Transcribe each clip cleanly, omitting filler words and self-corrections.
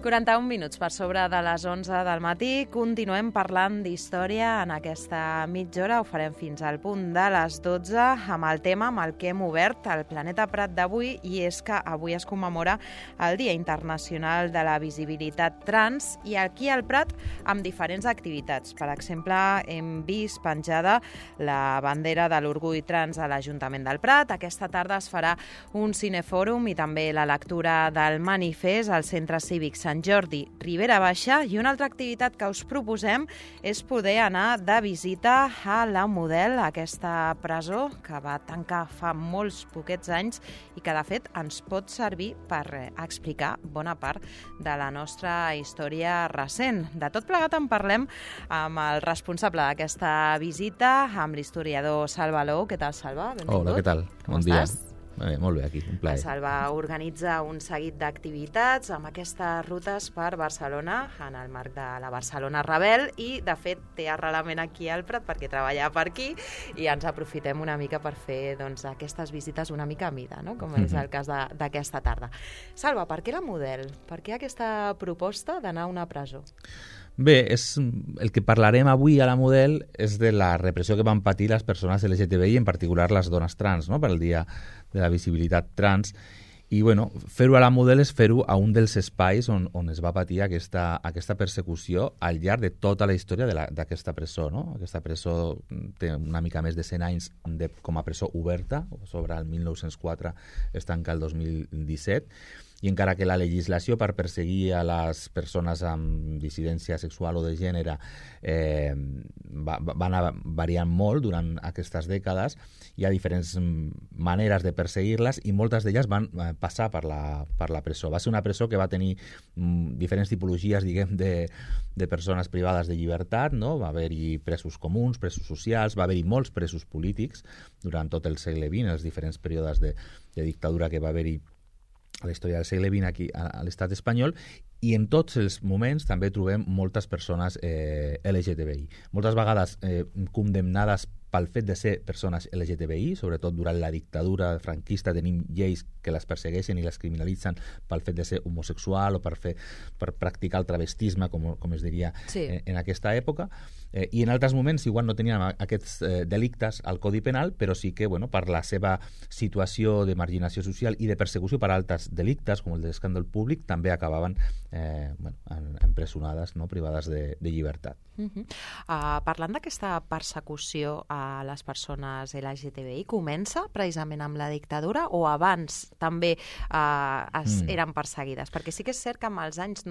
41 minuts per sobre de les 11 del matí. Continuem parlant d'història en aquesta mitja hora. Ho farem fins al punt de les 12 amb el tema amb el que hem obert el Planeta Prat d'avui, i és que avui es commemora el Dia Internacional de la Visibilitat Trans, i aquí al Prat amb diferents activitats. Per exemple, hem vist penjada la bandera de l'orgull trans a l'Ajuntament del Prat. Aquesta tarda es farà un cinefòrum i també la lectura del manifest al Centre Cívic Sant Jordi Ribera Baixa, i una altra activitat que us proposem és poder anar de visita a la Model, aquesta presó que va tancar fa molts poquets anys i que de fet ens pot servir per explicar bona part de la nostra història recent. De tot plegat en parlem amb el responsable d'aquesta visita, amb l'historiador Salva Alou. Què tal, Salva? Benvingut. Hola, què tal? Com estàs? Molt bé, aquí, un plaer. El Salva organitza un seguit d'activitats amb aquestes rutes per Barcelona en el marc de la Barcelona Rebel, i de fet té arrelament aquí al Prat perquè treballa per aquí, i ens aprofitem una mica per fer aquestes visites una mica a mida, no? Com és el cas d'aquesta tarda. Salva, per què la Model? Per què aquesta proposta d'anar a una presó? Bé, el que parlarem avui a la Model és de la repressió que van patir les persones LGTBI, en particular les dones trans, no? Per el Dia de la Visibilitat Trans. I bueno, fer-ho a la Model és fer-ho a un dels espais on es va patir aquesta persecució al llarg de tota la història d'aquesta presó, no? Aquesta presó té una mica més de 100 anys com a presó oberta, sobre el 1904 es tanca el 2017, i encara que la legislació per perseguir a les persones amb dissidència sexual o de gènere va anar variant molt durant aquestes dècades, hi ha diferents maneres de perseguir-les i moltes d'elles van passar per la presó. Va ser una presó que va tenir diferents tipologies, diguem, de persones privades de llibertat, no? Va haver-hi presos comuns, presos socials, va haver-hi molts presos polítics durant tot el segle XX, els diferents períodes de dictadura que va haver-hi a la història del segle XX aquí a l'estat espanyol, i en tots els moments també trobem moltes persones LGTBI. Moltes vegades condemnades pel fet de ser persones LGTBI, sobretot durant la dictadura franquista tenim lleis que les persegueixen i les criminalitzen pel fet de ser homosexual o per practicar el travestisme, com es diria en aquesta època. I en altres moments igual no tenien aquests delictes al Codi Penal, però sí que per la seva situació de marginació social i de persecució per altres delictes, com el de l'escàndol públic, també acabaven empresonades, no? Privades de llibertat. Parlant d'aquesta persecució a les persones LGTBI, comença precisament amb la dictadura o abans també eren perseguides? Perquè sí que és cert que amb els anys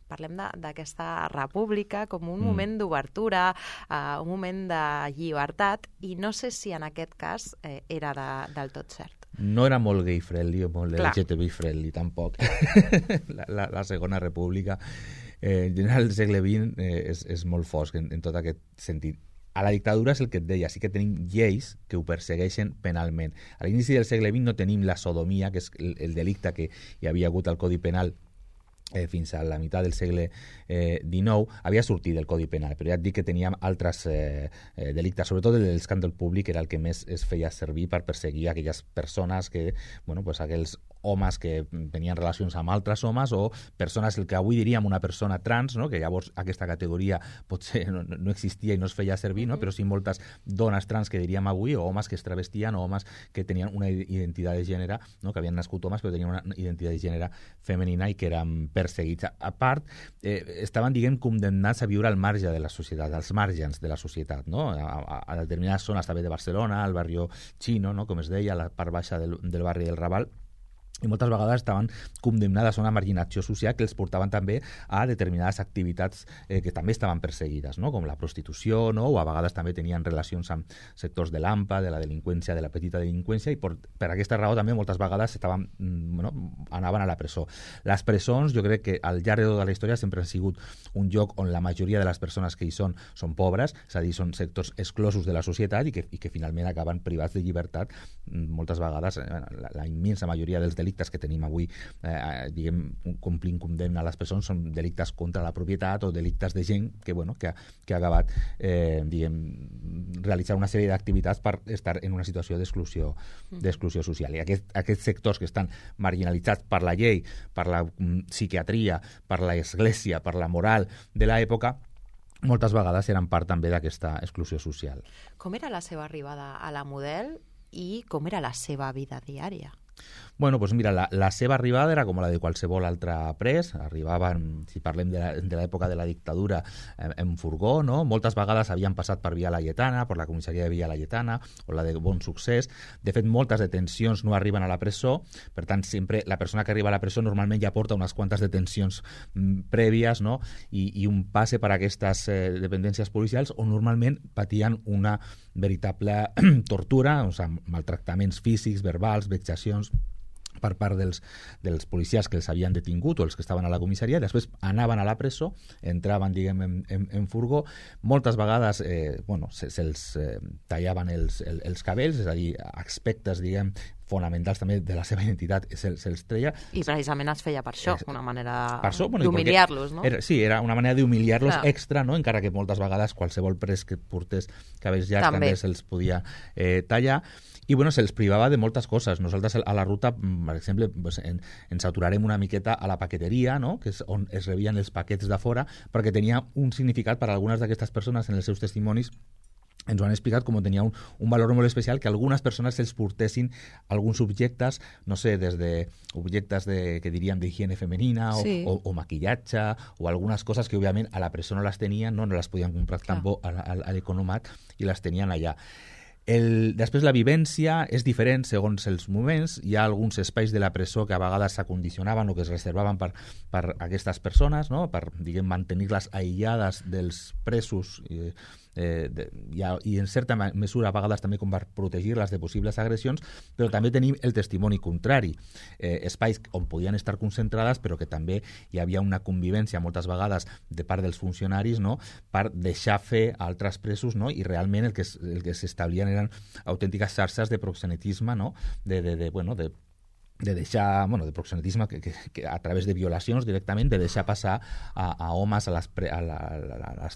parlem d'aquesta república com un moment d'obertura, un moment de llibertat, i no sé si en aquest cas era del tot cert. No era molt gay-friendly o molt LGTBI-friendly, tampoc. La Segona República, en general, el segle XX és molt fosc en tot aquest sentit. A la dictadura és el que et deia, sí que tenim lleis que ho persegueixen penalment. A l'inici del segle XX no tenim la sodomia, que és el delicte que hi havia hagut al Codi Penal fins a la meitat del segle XIX, havia sortit del Codi Penal, però ja et dic que teníem altres delictes, sobretot el de l'escàndol públic era el que més es feia servir per perseguir aquelles persones que, aquells homes que tenien relacions amb altres homes, o persones, el que avui diríem una persona trans, no? Que llavors aquesta categoria potser no existia i no es feia servir, no? Però sí moltes dones trans que diríem avui, o homes que es travestien, o homes que tenien una identitat de gènere, no? Que havien nascut homes però tenien una identitat de gènere femenina i que eren perseguits. A part, estaven, condemnats a viure al marge de la societat, als margens de la societat, no? A determinades zones també de Barcelona, al barri Chino, no? Com es deia, a la part baixa del barri del Raval, i moltes vegades estaven condemnades a una marginació social que els portaven també a determinades activitats que també estaven perseguides, no? Com la prostitució, no? O a vegades també tenien relacions amb sectors de l'AMPA, de la delinqüència, de la petita delinqüència, i per aquesta raó també moltes vegades anaven a la presó. Les presons, jo crec que al llarg de tota la història sempre han sigut un lloc on la majoria de les persones que hi són pobres, és a dir, són sectors exclosos de la societat i que finalment acaben privats de llibertat moltes vegades, la immensa majoria dels delictes delictes que tenim avui, complint condemna a les presons, són delictes contra la propietat o delictes de gent que ha acabat realitzar una sèrie d'activitats per estar en una situació d'exclusió social. I aquests sectors que estan marginalitzats per la llei, per la psiquiatria, per l'església, per la moral de l'època, moltes vegades eren part també d'aquesta exclusió social. Com era la seva arribada a la Model i com era la seva vida diària? Bueno, doncs mira, la seva arribada era com la de qualsevol altre pres. Arribaven, si parlem de l'època de la dictadura, en furgó, no? Moltes vegades havien passat per Via Laietana, per la comissaria de Via Laietana, o la de Bon Succés. De fet, moltes detencions no arriben a la presó, per tant, sempre la persona que arriba a la presó normalment ja porta unes quantes detencions prèvies, no? I un passe per aquestes dependències policials on normalment patien una veritable tortura, o sigui, maltractaments físics, verbals, vexacions per part dels policies que els havien detingut o els que estaven a la comissaria. Després anaven a la presó, entraven, diguem, en furgó. Moltes vegades se'ls tallaven els cabells, és a dir, aspectes, diguem, fonamentals també de la seva identitat se'ls treia. I precisament es feia per això, una manera d'humiliar-los, no? Sí, era una manera d'humiliar-los extra, no? Encara que moltes vegades qualsevol pres que portés cabells llargs també se'ls podia tallar. I se'ls privava de moltes coses. Nosaltres a la ruta, per exemple, ens aturarem una miqueta a la paqueteria, no? Que és on es rebien els paquets de fora, perquè tenia un significat per a algunes d'aquestes persones en els seus testimonis. Ens ho han explicat com tenia un valor molt especial que algunes persones se'ls portessin alguns objectes, no sé, des de objectes que diríem d'higiene femenina o maquillatge o algunes coses que òbviament a la presó no les tenien, no les podien comprar tampoc a l'economat i les tenien allà. Després la vivència és diferent segons els moments. Hi ha alguns espais de la presó que a vegades s'acondicionaven o que es reservaven per aquestes persones, no? Per, diguem, mantenir-les aïllades dels presos i en certa mesura a vegades també com per protegir-les de possibles agressions, però també tenim el testimoni contrari, espais on podien estar concentrades però que també hi havia una convivència moltes vegades de part dels funcionaris, no? Per deixar fer a altres presos, no? I realment el que s'establien eren autèntiques xarxes de proxenetisme, no? De deixar, de proxenetisme que a través de violacions directament, de deixar passar a homes a les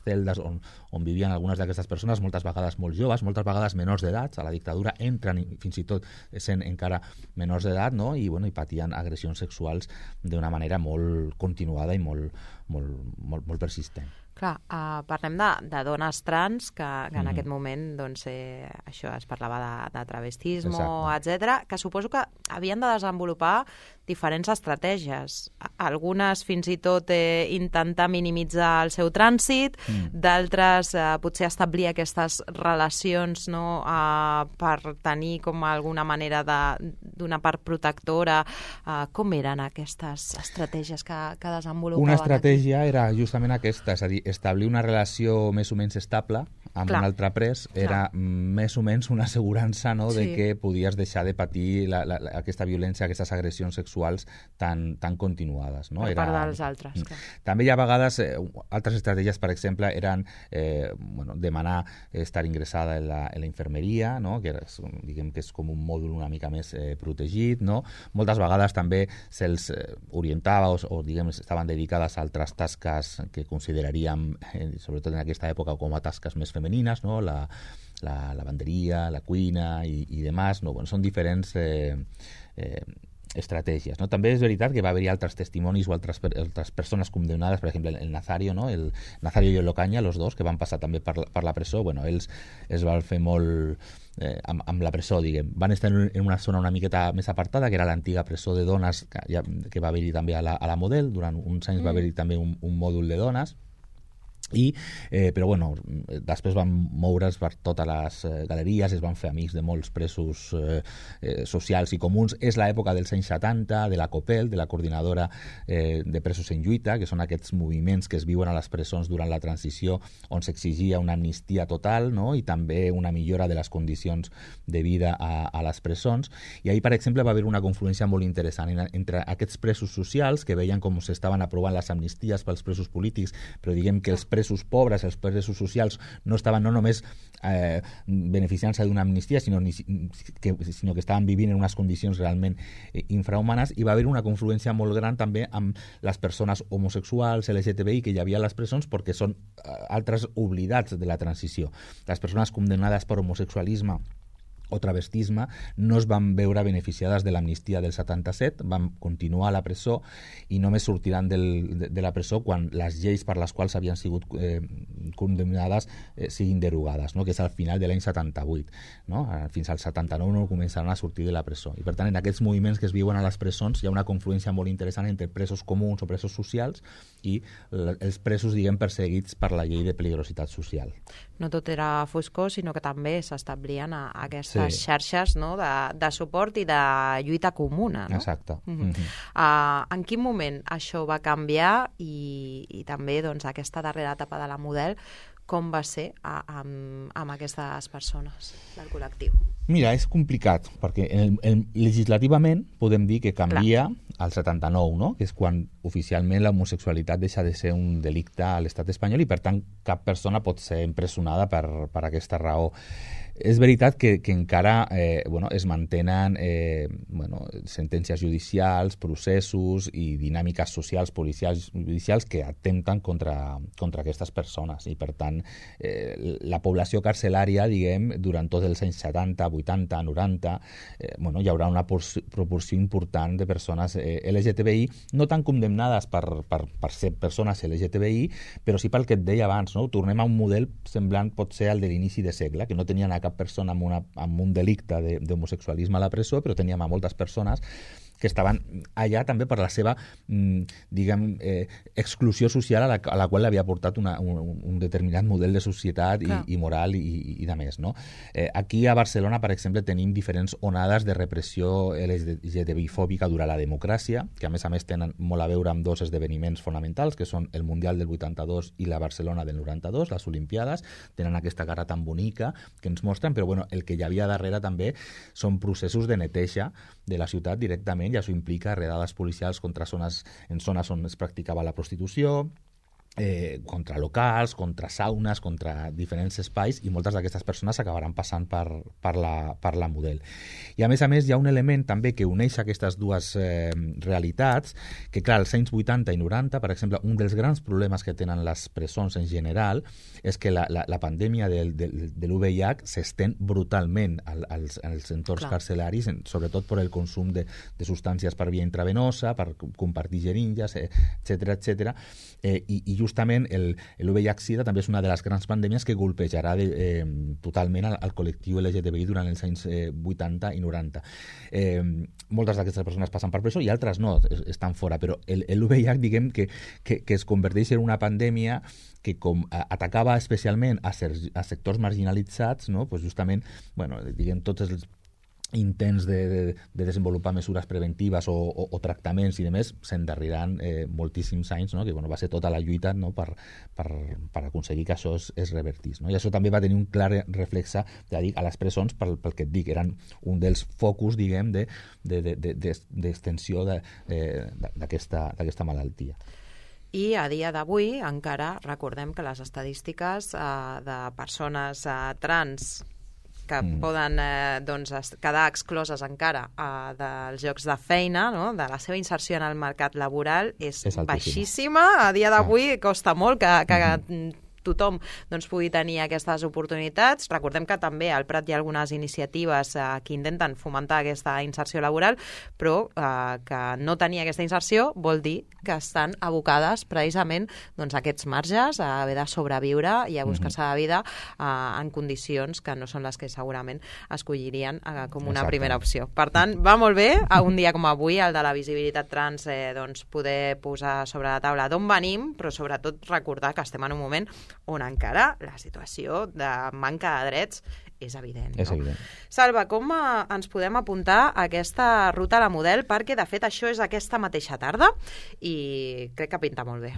celdes on vivien algunes d'aquestes persones, moltes vegades molt joves, moltes vegades menors d'edat. A la dictadura entren fins i tot sent encara menors d'edat, no? I patien agressions sexuals d'una manera molt continuada i molt persistent. Clar, parlem de dones trans que en aquest moment això es parlava de travestisme, etc., que suposo que havien de desenvolupar diferents estratègies. Algunes fins i tot intentar minimitzar el seu trànsit, d'altres potser establir aquestes relacions, no, per tenir com alguna manera d'una part protectora. Com eren aquestes estratègies que desenvolupaven? Una estratègia era justament aquesta, és a dir, establir una relació més o menys estable amb un altre pres era més o menys una assegurança, no, de que podies deixar de patir aquesta violència, aquestes agressions sexuals tan continuades. No? Per part dels altres. També hi ha vegades altres estratègies, per exemple, eren demanar estar ingressada en la infermeria, no? Que diguem que és com un mòdul una mica més protegit. No? Moltes vegades també se'ls orientava o diguem, estaven dedicades a altres tasques que consideraríem, sobretot en aquesta època, com a tasques més femenines, no? La lavanderia, la cuina i demás. No? Són diferents estratègies. No? També és veritat que va haver-hi altres testimonis o altres persones condemnades, per exemple, el Nazario, no? El Nazario i el Ocaña, los dos, que van passar també per la presó. Ells es van fer molt amb la presó, diguem. Van estar en una zona una miqueta més apartada, que era l'antiga presó de dones que va haver-hi també a la Model. Durant uns anys va haver-hi també un mòdul de dones. Però després van moure's per totes les galeries, es van fer amics de molts presos socials i comuns. És l'època dels anys 70, de la COPEL, de la Coordinadora de Presos en Lluita, que són aquests moviments que es viuen a les presons durant la transició, on s'exigia una amnistia total, no? I també una millora de les condicions de vida a les presons. I ahir, per exemple, va haver una confluència molt interessant entre aquests presos socials que veien com s'estaven aprovant les amnisties pels presos polítics, però diguem que els presos presos pobres, els presos socials, no estaven no només beneficiant-se d'una amnistia, sinó que estaven vivint en unes condicions realment infrahumanes, i va haver una confluència molt gran també amb les persones homosexuals, LGTBI, que hi havia a les presons, perquè són altres oblidats de la transició. Les persones condemnades per homosexualisme o travestisme no es van veure beneficiades de l'amnistia del 77, van continuar a la presó i només sortiran de la presó quan les lleis per les quals havien sigut condemnades siguin derogades, no? Que és al final de l'any 78. No? Fins al 79 no començaran a sortir de la presó. I per tant, en aquests moviments que es viuen a les presons hi ha una confluència molt interessant entre presos comuns o presos socials i els presos, diguem, perseguits per la llei de peligrositat social. No tot era foscor, sinó que també s'establien aquestes xarxes, no? de suport i de lluita comuna. No? Exacte. En quin moment això va canviar i també doncs, aquesta darrera etapa de la Model, com va ser amb aquestes persones del col·lectiu? Mira, és complicat, perquè legislativament podem dir que canvia al 79, no? Que és quan oficialment l'homosexualitat deixa de ser un delicte a l'estat espanyol i, per tant, cap persona pot ser empresonada per aquesta raó. És veritat que encara es mantenen sentències judicials, processos i dinàmiques socials, policials, judicials que atempten contra aquestes persones i, per tant, la població carcelària, diguem, durant tots els anys 70, 80, 90, hi haurà una proporció important de persones LGTBI, no tan condemnades per ser persones LGTBI, però sí pel que et deia abans, no? Tornem a un model semblant potser al de l'inici de segle, que no tenien a cap persona amb un delicte d'homosexualisme a la presó, però teníem a moltes persones que estaven allà també per la seva, diguem, exclusió social a la qual havia portat un determinat model de societat i moral i de més, no? Aquí a Barcelona, per exemple, tenim diferents onades de repressió LGTBI-fòbica durant la democràcia, que a més tenen molt a veure amb dos esdeveniments fonamentals, que són el Mundial del 82 i la Barcelona del 92, les Olimpiades. Tenen aquesta cara tan bonica que ens mostren, però el que hi havia darrere també són processos de neteja de la ciutat directament, i això implica redades policials en zones on es practicava la prostitució, contra locals, contra saunes, contra diferents espais, i moltes d'aquestes persones acabaran passant per la Model. I a més hi ha un element també que uneix aquestes dues realitats, que clar, als anys 80 i 90, per exemple, un dels grans problemes que tenen les presons en general és que la pandèmia de l'UVIH s'estén brutalment als entorns carcelaris, sobretot per el consum de substàncies per via intravenosa, per compartir jeringues, etc. I justament el VIH-Sida també és una de les grans pandèmies que golpejarà totalment al col·lectiu LGTBI durant els anys 80 i 90. Moltes d'aquestes persones passen per presó i altres no, estan fora, però el VIH, diguem, que es converteix en una pandèmia que com atacava especialment a sectors marginalitzats, no? Pues justament, diguem, tots els intents de desenvolupar mesures preventives o tractaments i demés s'endarriran moltíssims anys, no? Que va ser tota la lluita, no? per aconseguir que això es revertís, no? I això també va tenir un clar reflexe, ja dic, a les presons, pel que et dic, eren un dels focus, diguem, d'extensió d'aquesta malaltia. I a dia d'avui encara recordem que les estadístiques de persones trans que poden quedar excloses encara dels llocs de feina, no? De la seva inserció en el mercat laboral és baixíssima. A dia d'avui costa molt que tothom pugui tenir aquestes oportunitats. Recordem que també al Prat hi ha algunes iniciatives que intenten fomentar aquesta inserció laboral, però que no tenir aquesta inserció vol dir que estan abocades precisament a aquests marges, a haver de sobreviure i a buscar-se la vida en condicions que no són les que segurament escollirien com una primera opció. Per tant, va molt bé, un dia com avui, el de la visibilitat trans, poder posar sobre la taula d'on venim, però sobretot recordar que estem en un moment on encara la situació de manca de drets és evident. És evident. Salva, com ens podem apuntar a aquesta ruta a la Model? Perquè, de fet, això és aquesta mateixa tarda i crec que pinta molt bé.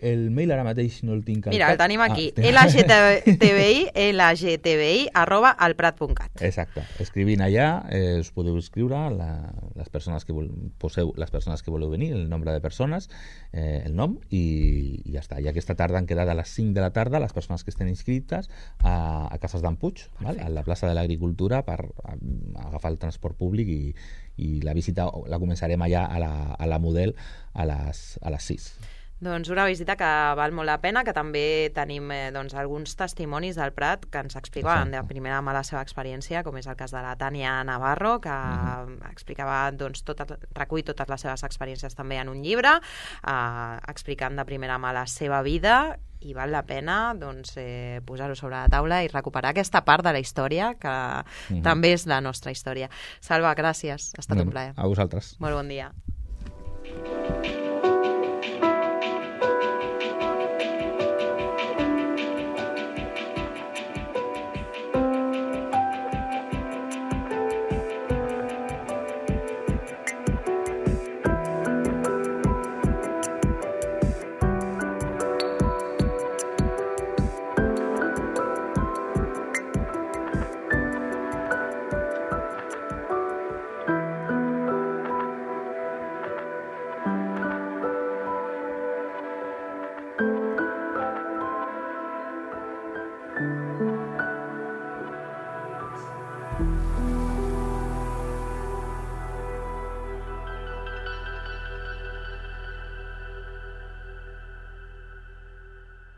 el mail ara mateix no el tinc al Mira, cap. el tenim aquí, lgtbi@alprat.cat. Exacte. Escrivint allà us podeu escriure les persones que poseu les persones que voleu venir, el nombre de persones, el nom i ja està. I aquesta tarda han quedat a les 5 de la tarda les persones que estan inscrites a Cases d'en Puig, a la plaça de l'Agricultura, per agafar el transport públic i la visita la començarem allà a la Model a les 6. Doncs una visita que val molt la pena, que també tenim alguns testimonis del Prat que ens explicaven de primera mà la seva experiència, com és el cas de la Tània Navarro, que explicava, recull totes les seves experiències també en un llibre, explicant de primera mà la seva vida, i val la pena posar-ho sobre la taula i recuperar aquesta part de la història que també és la nostra història. Salva, gràcies, ha estat un plaer. A vosaltres. Molt bon dia.